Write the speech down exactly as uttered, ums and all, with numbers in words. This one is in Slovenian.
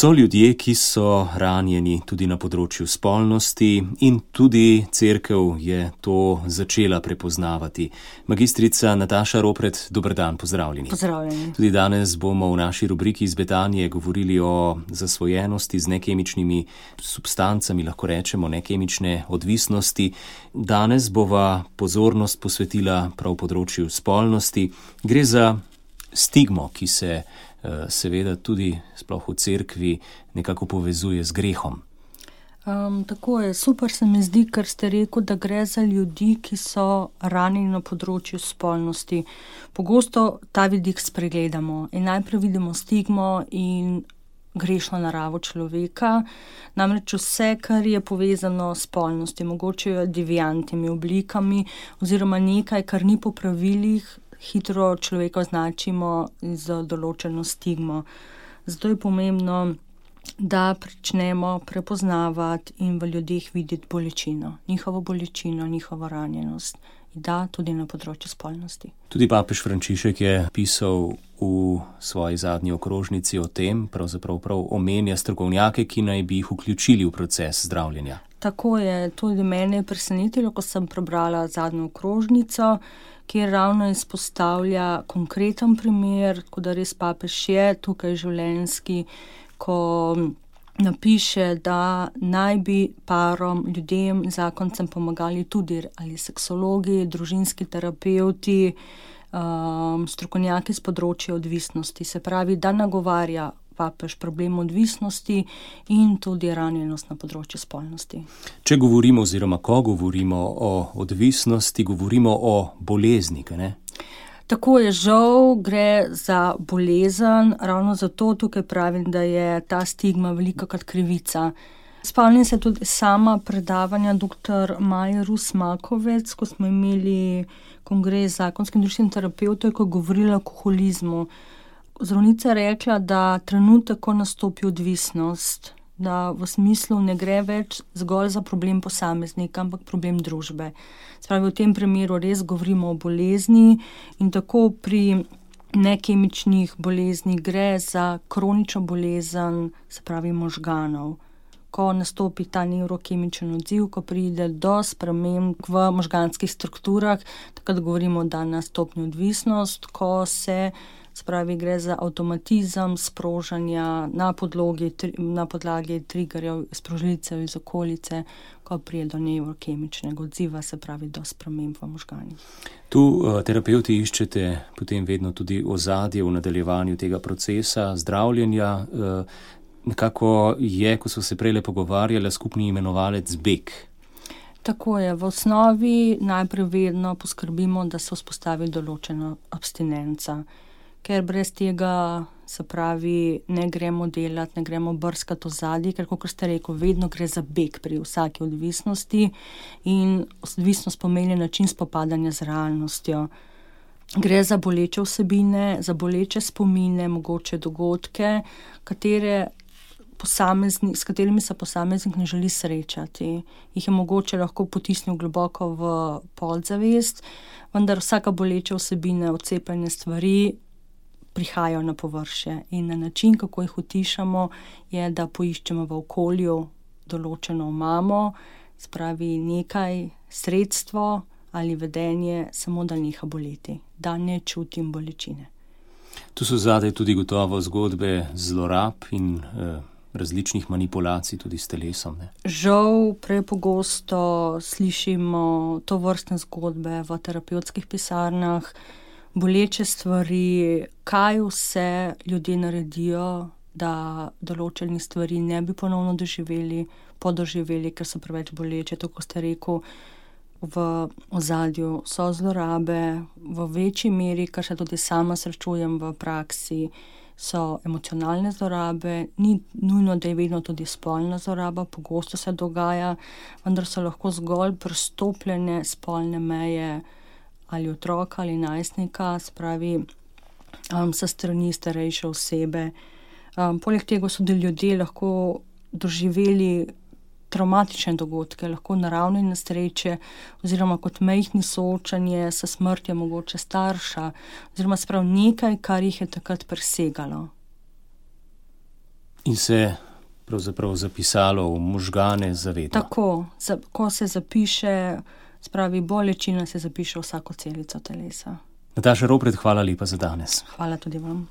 So ljudje, ki so ranjeni tudi na področju spolnosti in tudi cerkev je to začela prepoznavati. Magistrica Nataša Ropret, dober dan, pozdravljeni. Pozdravljeni. Tudi danes bomo v naši rubriki iz Betanije govorili o zasvojenosti z nekemičnimi substancami, lahko rečemo nekemične odvisnosti. Danes bova pozornost posvetila prav področju spolnosti. Gre za stigmo, ki se seveda tudi sploh v cerkvi nekako povezuje z grehom. Um, tako je, super se mi zdi, ker ste rekel, da gre za ljudi, ki so ranjeni na področju spolnosti. Pogosto ta vidik spregledamo in najprej vidimo stigmo in grešno naravo človeka, namreč vse, kar je povezano s spolnostjo, mogoče deviantnimi oblikami oziroma nekaj, kar ni po pravilih, hitro človeka označimo z določeno stigmo. Zato je pomembno, da pričnemo prepoznavati in v ljudeh videti bolečino, njihovo bolečino, njihovo ranjenost. In da, tudi na področju spolnosti. Tudi papež Frančišek je pisal v svoji zadnji okrožnici o tem, pravzaprav prav omenja strokovnjake, ki naj bi jih vključili v proces zdravljenja. Tako je, tudi mene je presenetilo, ko sem prebrala zadnjo okrožnico, kjer ravno izpostavlja konkreten primer, tako da res papež je tukaj življenjski, ko napiše, da naj bi parom, ljudem, zakoncem pomagali tudi ali seksologi, družinski terapevti, um, strokovnjaki z področja odvisnosti. Se pravi, da nagovarja papež problem odvisnosti in tudi ranjenost na področju spolnosti. Če govorimo oziroma ko govorimo o odvisnosti, govorimo o bolezni, ne? Tako je, žal gre za bolezen, ravno zato tukaj pravim, da je ta stigma velikokrat krivica. Spomnim se tudi sama predavanja doktor Maje Rus Makovec, ko smo imeli kongres zakonskih in družinskih terapevtov, ko je govorila o alkoholizmu. Zdravnica je rekla, da trenutek, ko nastopi odvisnost, da v smislu ne gre več zgolj za problem posameznika, ampak problem družbe. Spravi, v tem primeru res govorimo o bolezni in tako pri nekemičnih boleznih gre za kronično bolezen, se pravi možganov. Ko nastopi ta nevrokemičen odziv, ko pride do sprememb v možganskih strukturah, takrat govorimo, da nastopni odvisnost, ko se spravi, gre za avtomatizem sprožanja na podlogi, na podlagi triggerjev, sprožilcev iz okolice, ko pride do nevrokemičnega odziva, se pravi do sprememb v možganih. Tu uh, terapevti iščete potem vedno tudi ozadje v nadaljevanju tega procesa zdravljenja. Uh, nekako je, ko so se prejle pogovarjali, skupni imenovalec beg. Tako je, v osnovi najprej vedno poskrbimo, da se vzpostavi določena abstinenca. Ker brez tega, se pravi, ne gremo delati, ne gremo brskati ozadje, ker, kot ste rekel, vedno gre za beg pri vsaki odvisnosti in odvisnost pomeni način spopadanja z realnostjo. Gre za boleče vsebine, za boleče spomine, mogoče dogodke, katere posamezni, s katerimi se posameznik ne želi srečati. Jih je mogoče lahko potisnil globoko v podzavest, vendar vsaka boleča vsebine, odcepljene stvari prihajajo na površje in na način, kako jih utišamo, je, da poiščemo v okolju določeno omamo, spravi nekaj sredstvo ali vedenje, samo da neha boleti, da ne čutim bolečine. Tu so zadaj tudi gotovo zgodbe zlorab in eh, različnih manipulacij tudi s telesom. Ne? Žal prepogosto slišimo to vrstne zgodbe v terapevtskih pisarnah, boleče stvari, kaj vse ljudje naredijo, da določenih stvari ne bi ponovno doživeli, podoživeli, ker so preveč boleče. Tako ste rekel, v ozadju so zlorabe, v večji meri, kar se tudi sama srečujem v praksi, so emocionalne zlorabe, ni nujno, da je vedno tudi spolna zloraba, pogosto se dogaja, vendar so lahko zgolj prestopljene spolne meje ali otroka ali najstnika, spravi um, sa strani starejše osebe. Um, poleg tega so tudi ljudje lahko doživeli travmatične dogodke, lahko naravne nesreče oziroma kot majhni soočanje s smrtjo mogoče starša oziroma sprav nekaj, kar jih je takrat presegalo. In se pravzaprav zapisalo v možgane zavedno. Tako, za, ko se zapiše, spravi bolečina, se zapiše vsako celico telesa. Nataša Ropret, hvala lepa za danes. Hvala tudi vam.